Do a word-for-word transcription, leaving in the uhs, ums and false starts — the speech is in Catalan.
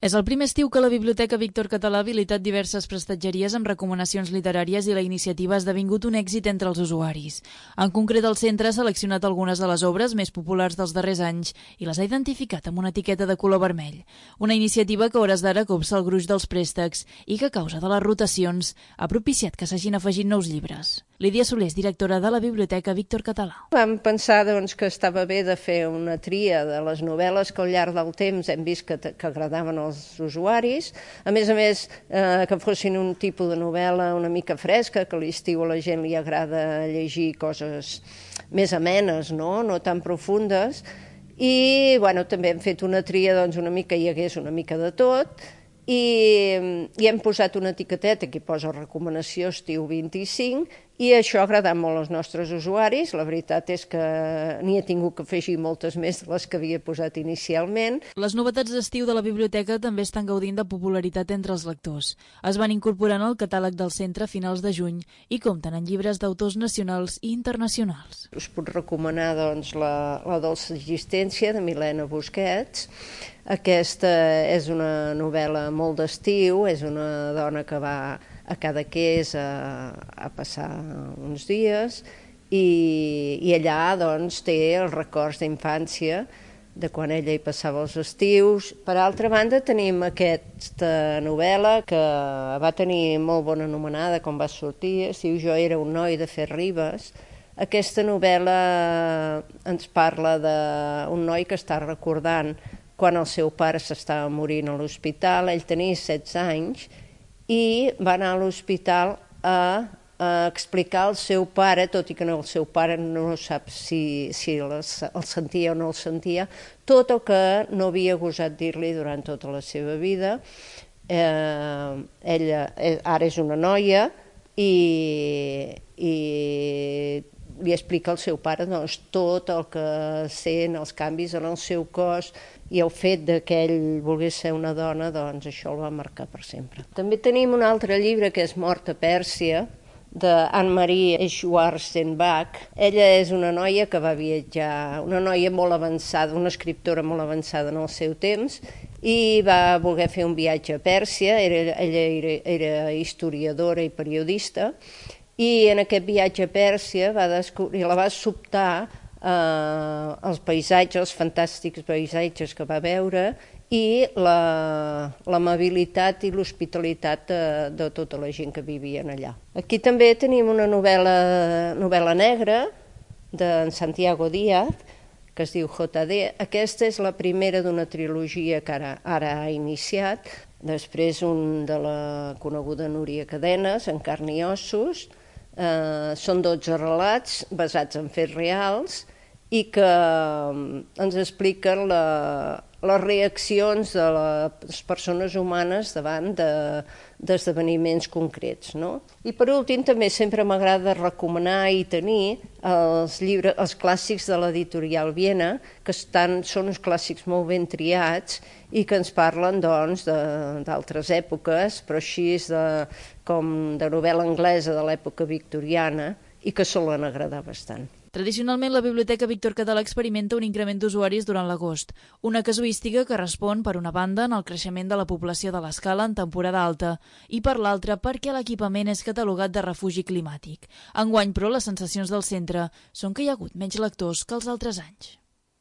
És el primer estiu que la Biblioteca Víctor Català ha habilitat diverses prestatgeries amb recomanacions literàries i la iniciativa ha esdevingut un èxit entre els usuaris. En concret, el centre ha seleccionat algunes de les obres més populars dels darrers anys i les ha identificat amb una etiqueta de color vermell. Una iniciativa que a hores d'ara copsa el gruix dels préstecs i que a causa de les rotacions ha propiciat que s'hagin afegit nous llibres. Lídia Soler és directora de la Biblioteca Víctor Català. Vam pensar doncs, que estava bé de fer una tria de les novel·les que al llarg del temps hem vist que, que agradaven als usuaris. A més a més, eh, que fossin un tipus de novel·la una mica fresca, que a l'estiu a la gent li agrada llegir coses més amenes, no, no tan profundes. I bueno, també hem fet una tria doncs, una mica hi hagués una mica de tot. I, i hem posat una etiqueteta que posa recomanació estiu vint-i-cinc i això ha agradat molt als nostres usuaris. La veritat és que n'hi he tingut que afegir moltes més de les que havia posat inicialment. Les novetats d'estiu de la biblioteca també estan gaudint de popularitat entre els lectors. Es van incorporant al catàleg del centre a finals de juny i compten en llibres d'autors nacionals i internacionals. Us puc recomanar doncs, la, la dolça existència de Milena Busquets. Aquesta és una novel·la molt d'estiu, és una dona que va a Cadaqués a, a passar uns dies i, i allà doncs, té els records d'infància de quan ella hi passava els estius. Per altra banda, tenim aquesta novel·la que va tenir molt bona anomenada quan va sortir, es diu Jo era un noi de Fer Ribes. Aquesta novel·la ens parla d'un noi que està recordant quan el seu pare s'estava morint a l'hospital. Ell tenia setze anys i va anar a l'hospital a, a explicar al seu pare, tot i que no, el seu pare no sap si, si les, el sentia o no el sentia, tot el que no havia gosat dir-li durant tota la seva vida. Eh, ella ara és una noia i, i li explica al seu pare doncs, tot el que sent, els canvis en el seu cos, i el fet de que ell volgués ser una dona, doncs això el va marcar per sempre. També tenim un altre llibre que és Mort a Pèrsia, d'Anne-Marie Schwarzenbach. Ella és una noia que va viatjar, una noia molt avançada, una escriptora molt avançada en el seu temps, i va voler fer un viatge a Pèrsia. Era, ella era, era historiadora i periodista, i en aquest viatge a Pèrsia va descobrir, la va sobtar eh, els paisatges, els fantàstics paisatges que va veure i l'amabilitat i l'hospitalitat de, de tota la gent que vivien allà. Aquí també tenim una novel·la, novel·la negra d'en Santiago Díaz, que es diu J D. Aquesta és la primera d'una trilogia que ara, ara ha iniciat. Després un de la coneguda Núria Cadenes, En carn i ossos. Eh, són dotze relats basats en fets reals i que ens expliquen la, les reaccions de les persones humanes davant d'esdeveniments de, concrets. No? I per últim també sempre m'agrada recomanar i tenir els, llibres, els clàssics de l'editorial Viena, que estan, són uns clàssics molt ben triats i que ens parlen doncs, d'altres èpoques, però així de, com de novel·la anglesa de l'època victoriana i que solen agradar bastant. Tradicionalment, la Biblioteca Víctor Català experimenta un increment d'usuaris durant l'agost, una casuística que respon, per una banda, en el creixement de la població de l'Escala en temporada alta i, per l'altra, perquè l'equipament és catalogat de refugi climàtic. Enguany, però, les sensacions del centre són que hi ha hagut menys lectors que els altres anys.